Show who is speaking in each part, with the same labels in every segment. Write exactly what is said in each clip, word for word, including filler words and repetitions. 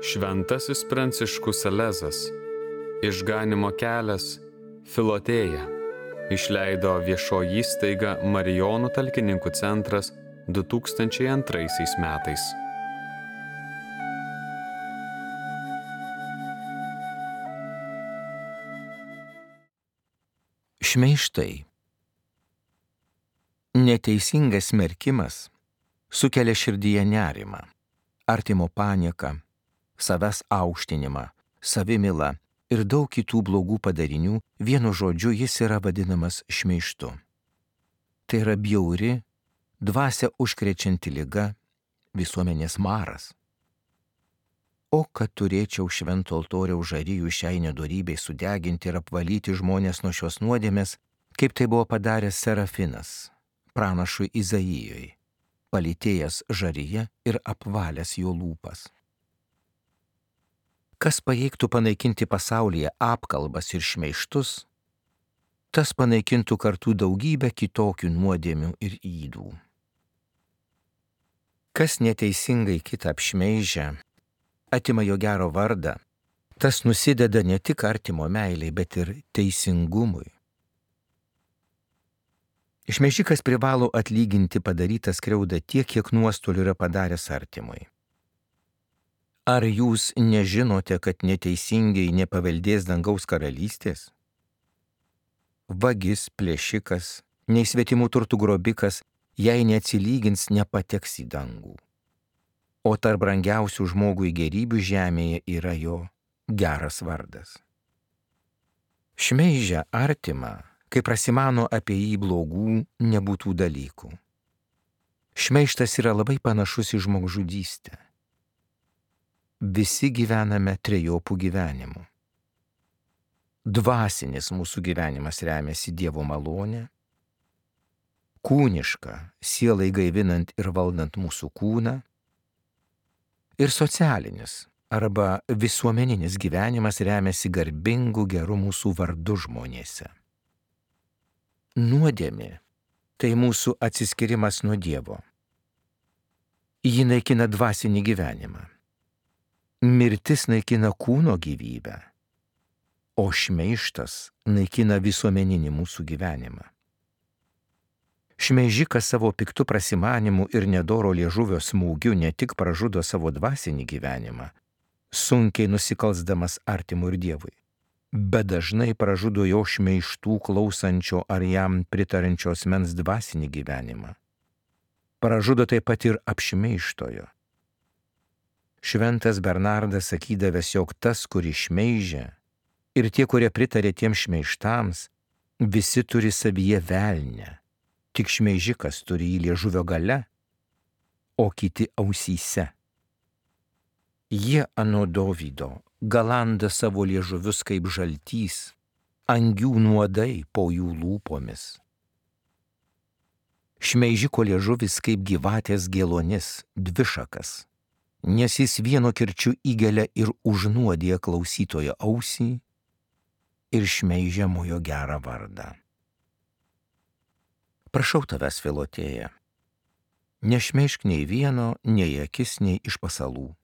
Speaker 1: Šventasis Pranciškus Salezas, Išganymo kelias, Filotėja, išleido viešoji įstaiga Marijonų talkininkų centras du tūkstančiai antraisiais metais.
Speaker 2: Šmeižtai. Neteisingas smerkimas sukelia širdyje nerimą, artimo panieką, savęs aukštinimą, savimylą ir daug kitų blogų padarinių. Vienu žodžiu jis yra vadinamas šmeižtu. Tai yra bjauri, dvasią užkrečianti liga, visuomenės maras. O kad turėčiau švento altoriaus žarijų šiai nedorybei sudeginti ir apvalyti žmonės nuo šios nuodėmės, kaip tai buvo padaręs Serafinas, pranašui Izaijui, palytėjęs žaryje ir apvalęs jo lūpas. Kas pajėgtų panaikinti pasaulyje apkalbas ir šmeižtus, tas panaikintų kartu daugybę kitokių nuodėmių ir ydų. Kas neteisingai kitą apšmeižia, atima jo gero vardą, tas nusideda ne tik artimo meiliai, bet ir teisingumui. Šmeižikas privalo atlyginti padarytą skriaudą tiek, kiek nuostolių yra padaręs artimui. Ar jūs nežinote, kad neteisingai nepaveldės dangaus karalystės? Vagis, plėšikas, nei svetimų turtų grobikas, jei neatsilygins, nepateks į dangų. O tarp brangiausių žmogui gerybių žemėje yra jo geras vardas. Šmeižia artimą, kai prasimano apie jį blogų, nebūtų dalykų. Šmeižtas yra labai panašus į žmogžudystę. Visi gyvename trejopų gyvenimų. Dvasinis mūsų gyvenimas remiasi Dievo malonė, kūniška, sielai gaivinant ir valdant mūsų kūną, ir socialinis arba visuomeninis gyvenimas remiasi garbingu geru mūsų vardu žmonėse. Nuodėmė – tai mūsų atsiskirimas nuo Dievo. Ji naikina dvasinį gyvenimą. Mirtis naikina kūno gyvybę, o šmeižtas naikina visuomeninį mūsų gyvenimą. Šmeižikas savo piktų prasimanimu ir nedoro liežuvio smūgiu ne tik pražudo savo dvasinį gyvenimą, sunkiai nusikalsdamas artimui ir Dievui, bet dažnai pražudo jo šmeižtų klausančio ar jam pritarančio asmens dvasinį gyvenimą. Pražudo taip pat ir apšmeižtojo. Šventas Bernardas sakydavęs, jog tas, kuris šmeižia, ir tie, kurie pritarė tiems šmeižtams, visi turi savyje velnę. Tik šmeižikas turi jį liežuvio gale, o kiti ausyse. Jie anot Dovydo galanda savo liežuvius kaip žaltys, angių nuodai po jų lūpomis. Šmeižiko liežuvis kaip gyvatės gėlonis, dvišakas, nes jis vieno kirčiu įgelia ir užnuodija klausytojo ausį ir šmeižiamojo gerą vardą. Prašau tavęs, Filotėja, nešmeižk nei vieno, nei akis, nei iš pasalų.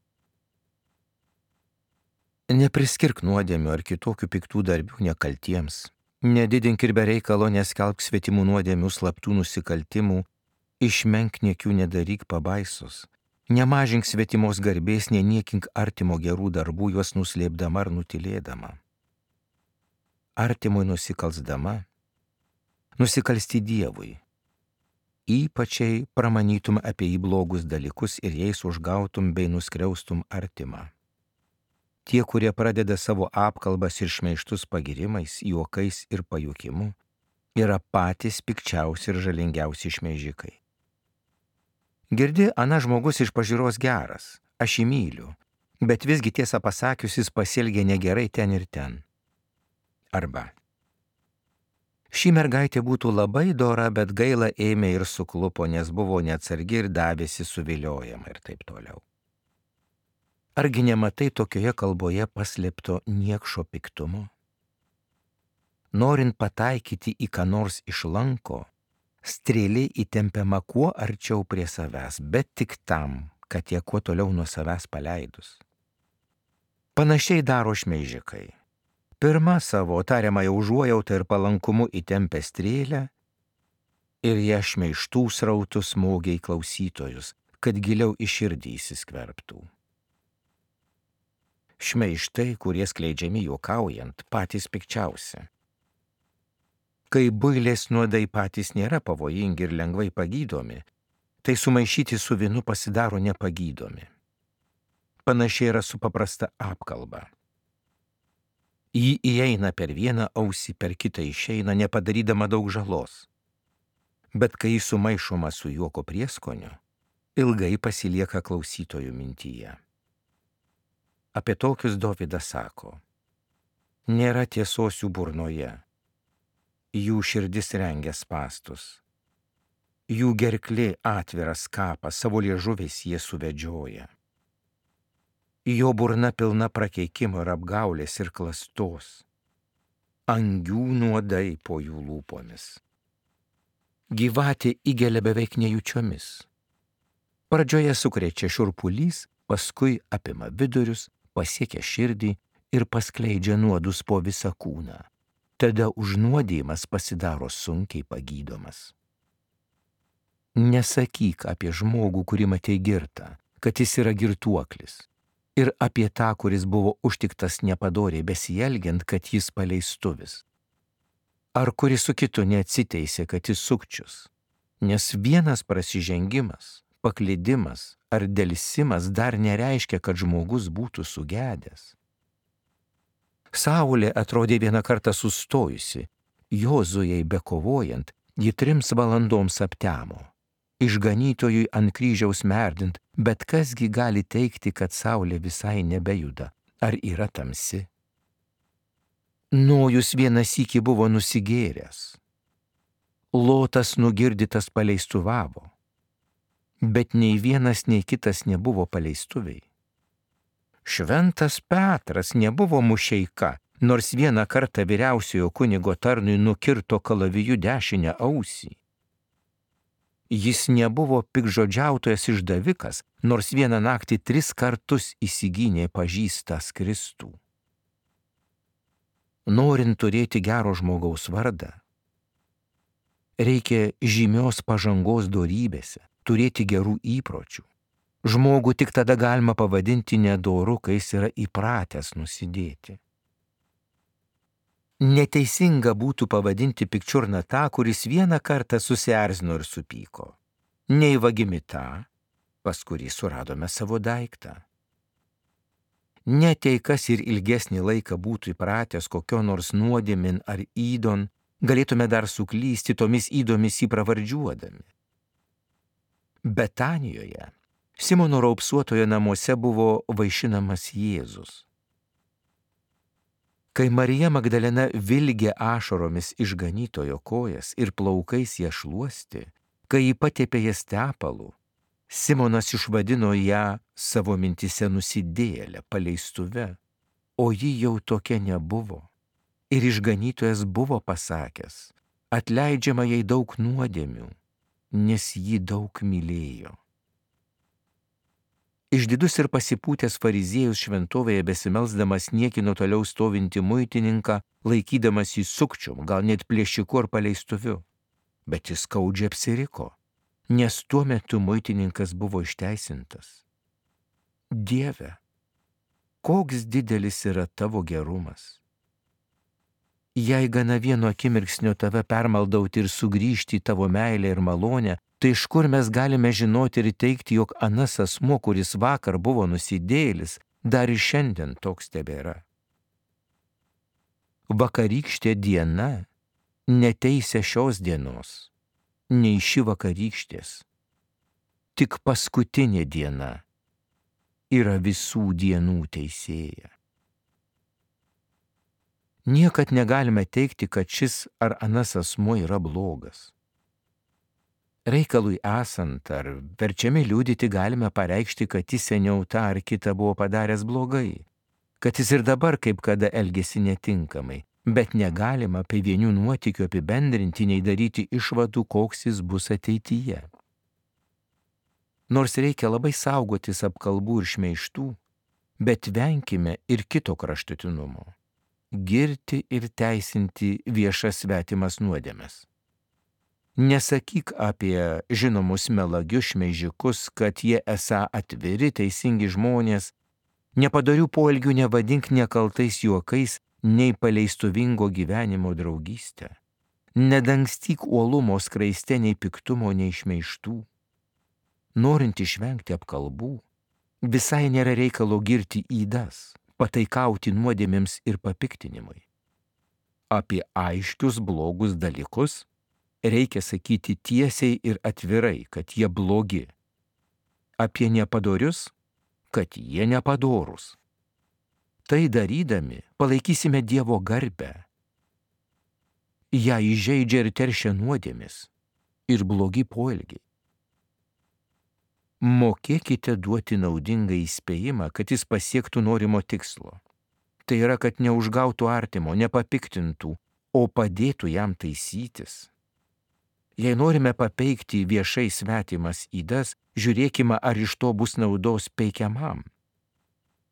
Speaker 2: Nepriskirk nuodėmių ar kitokių piktų darbių nekaltiems, nedidink ir be reikalo neskelbk svetimų nuodėmių, slaptų nusikaltimų, išmenkniekių nedaryk pabaisos, nemažink svetimos garbės, neniekink artimo gerų darbų, juos nuslėpdama ar nutilėdama. Artimui nusikalsdama, nusikalsti Dievui, ypačiai pramanytum apie jį blogus dalykus ir jais užgautum bei nuskriaustum artimą. Tie, kurie pradeda savo apkalbas ir šmeižtus pagirimais, juokais ir pajuokimu, yra patys pikčiausi ir žalingiausi šmeižikai. Girdi, ana žmogus iš pažiūros geras, aš jį myliu, bet visgi tiesą pasakius jis pasielgė negerai ten ir ten. Arba ši mergaitė būtų labai dora, bet gaila ėmė ir suklupo, nes buvo neatsargi ir davėsi suviliojama ir taip toliau. Argi nematai tokioje kalboje paslėpto niekšo piktumo? Norint pataikyti į ką nors išlanko, strėlė įtempiama kuo arčiau prie savęs, bet tik tam, kad ją kuo toliau nuo savęs paleidus. Panašiai daro šmeižikai. Pirma savo tariamąją užuojautą ir palankumu įtempia strėlę ir ją šmeižtų srautų smogia į klausytojus, kad giliau į širdį įsiskverbtų. Šmeižtai, kurie skleidžiami juokaujant, patys pikčiausi. Kai builės nuodai patys nėra pavojingi ir lengvai pagydomi, tai sumaišyti su vynu pasidaro nepagydomi. Panašiai yra su paprasta apkalba. Ji įeina per vieną ausį, per kitą išeina, nepadarydama daug žalos. Bet kai jis sumaišoma su juoko prieskoniu, ilgai pasilieka klausytojų mintyje. Apie tokius Dovydas sako: nėra tiesos jų burnoje, jų širdis rengia spąstus, jų gerklė atviras kapas, savo liežuviais jie suvedžioja. Jo burna pilna prakeikimo ir apgaulės ir klastos, angių nuodai po jų lūpomis. Gyvatė įgelia beveik nejučiomis. Pradžioje sukrečia šiurpulys, paskui apima vidurius, pasiekia širdį ir paskleidžia nuodus po visą kūną. Tada užnuodijimas pasidaro sunkiai pagydomas. Nesakyk apie žmogų, kurį matei girtą, kad jis yra girtuoklis, ir apie tą, kuris buvo užtiktas nepadoriai besielgiant, kad jis paleistuvis. Ar kuris su kitu neatsiteisė, kad jis sukčius, nes vienas prasižengimas, paklydimas ar delsimas dar nereiškia, kad žmogus būtų sugedęs. Saulė atrodė vieną kartą sustojusi, Jozujai bekovojant, ji trims valandoms aptemo. Išganytojui ant kryžiaus merdint, bet kasgi gali teikti, kad saulė visai nebejuda, ar yra tamsi? Nojus vieną sykį buvo nusigėręs. Lotas nugirdytas paleistuvavo, bet nei vienas, nei kitas nebuvo paleistuviai. Šventas Petras nebuvo mušeika, nors vieną kartą vyriausiojo kunigo tarnui nukirto kalaviju dešinę ausį. Jis nebuvo pikžodžiautojas išdavikas, nors vieną naktį tris kartus įsigynė pažįstas Kristų. Norint turėti gero žmogaus vardą, reikia žymios pažangos dorybėse, turėti gerų įpročių. Žmogų tik tada galima pavadinti nedoru, kai jis yra įpratęs nusidėti. Neteisinga būtų pavadinti pikčiurną tą, kuris vieną kartą susierzino ir supyko. Nei vagimi tą, pas kurį suradome savo daiktą. Net jei kas ir ilgesnį laiką būtų įpratęs kokio nors nuodėmin ar ydon, galėtume dar suklysti tomis įdomis jį pravardžiuodami. Betanijoje, Simono raupsuotojo namuose buvo vaišinamas Jėzus. Kai Marija Magdalena vilgė ašaromis išganytojo kojas ir plaukais ją šluosti, kai jį patepė jas tepalu, Simonas išvadino ją savo mintise nusidėjėlę, paleistuve, o ji jau tokia nebuvo. Ir išganytojas buvo pasakęs: atleidžiama jai daug nuodėmių, nes ji daug mylėjo. Išdidus ir pasipūtęs fariziejus šventovėje besimelsdamas niekino toliau stovinti muitininką, laikydamas jį sukčium, gal net plėšiku ar paleistuviu. Bet jis skaudžiai apsiriko, nes tuo metu muitininkas buvo išteisintas. Dieve, koks didelis yra tavo gerumas! Jei gana vieno akimirksnio tave permaldauti ir sugrįžti į tavo meilę ir malonę, tai iš kur mes galime žinoti ir teikti, jog anas asmuo, kuris vakar buvo nusidėjėlis, dar ir šiandien toks tebėra. Vakarykštė diena neteisia šios dienos, nei ši vakarykštės. Tik paskutinė diena yra visų dienų teisėja. Niekad negalime teikti, kad šis ar anas asmuo yra blogas. Reikalui esant ar verčiami liudyti galime pareikšti, kad jis seniau tą ar kitą buvo padaręs blogai, kad jis ir dabar kaip kada elgėsi netinkamai, bet negalima apie vienių nuotykių apibendrinti, nei daryti išvadų, koks jis bus ateityje. Nors reikia labai saugotis apkalbų ir šmeižtų, bet venkime ir kito kraštutinumo - girti ir teisinti viešas svetimas nuodėmes. Nesakyk apie žinomus melagius šmeižikus, kad jie esą atviri, teisingi žmonės, nepadarių poelgių nevadink nekaltais juokais, nei paleistuvingo gyvenimo draugystę. Nedangstyk uolumo skraiste nei piktumo, nei šmeižtų. Norint išvengti apkalbų, visai nėra reikalo girti ydas, pataikauti nuodėmėms ir papiktinimui. Apie aiškius blogus dalykus reikia sakyti tiesiai ir atvirai, kad jie blogi. Apie nepadorius, kad jie nepadorūs. Tai darydami palaikysime Dievo garbę. Ją įžeidžia ir teršia nuodėmis ir blogi poelgiai. Mokėkite duoti naudingą įspėjimą, kad jis pasiektų norimo tikslo. Tai yra, kad neužgautų artimo, nepapiktintų, o padėtų jam taisytis. Jei norime papeikti viešai svetimas ydas, žiūrėkime, ar iš to bus naudos peikiamam.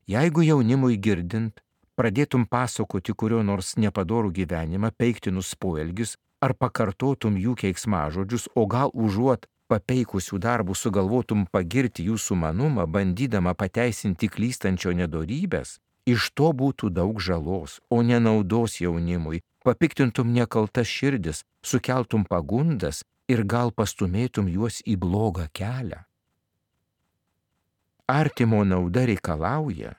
Speaker 2: Jeigu jaunimui girdint, pradėtum pasakoti kurio nors nepadorų gyvenimą, peiktinus poelgius, ar pakartotum jų keiksmažodžius, o gal užuot papeikusių darbų sugalvotum pagirti jų sumanumą, bandydama pateisinti klystančio nedorybės, iš to būtų daug žalos, o nenaudos jaunimui, papiktintum nekaltas širdis, sukeltum pagundas ir gal pastumėtum juos į blogą kelią. Artimo nauda reikalauja,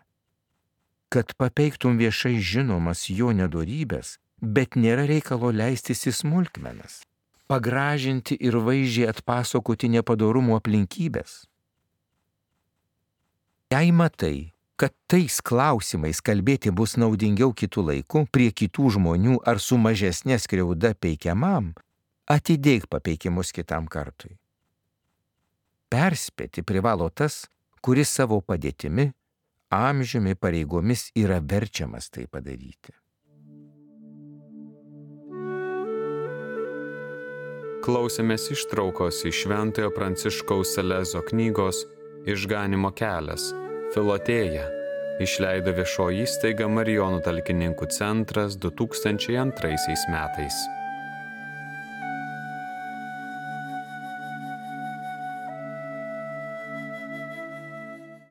Speaker 2: kad papeiktum viešai žinomas jo nedorybės, bet nėra reikalo leistis į smulkmenas, pagražinti ir vaizdžiai atpasakoti nepadorumo aplinkybės. Jei matai, kad tais klausimais kalbėti bus naudingiau kitų laikų, prie kitų žmonių ar su mažesnė skriauda peikiamam, atidėk papeikimus kitam kartui. Perspėti privalo tas, kuris savo padėtimi, amžiumi, pareigomis yra verčiamas tai padaryti.
Speaker 1: Klausėmės ištraukos iš Šventojo Pranciškaus Salezo knygos Išganymo kelias – Filotėja, išleido viešoji įstaiga Marijonų talkininkų centras du tūkstančiai antraisiais metais.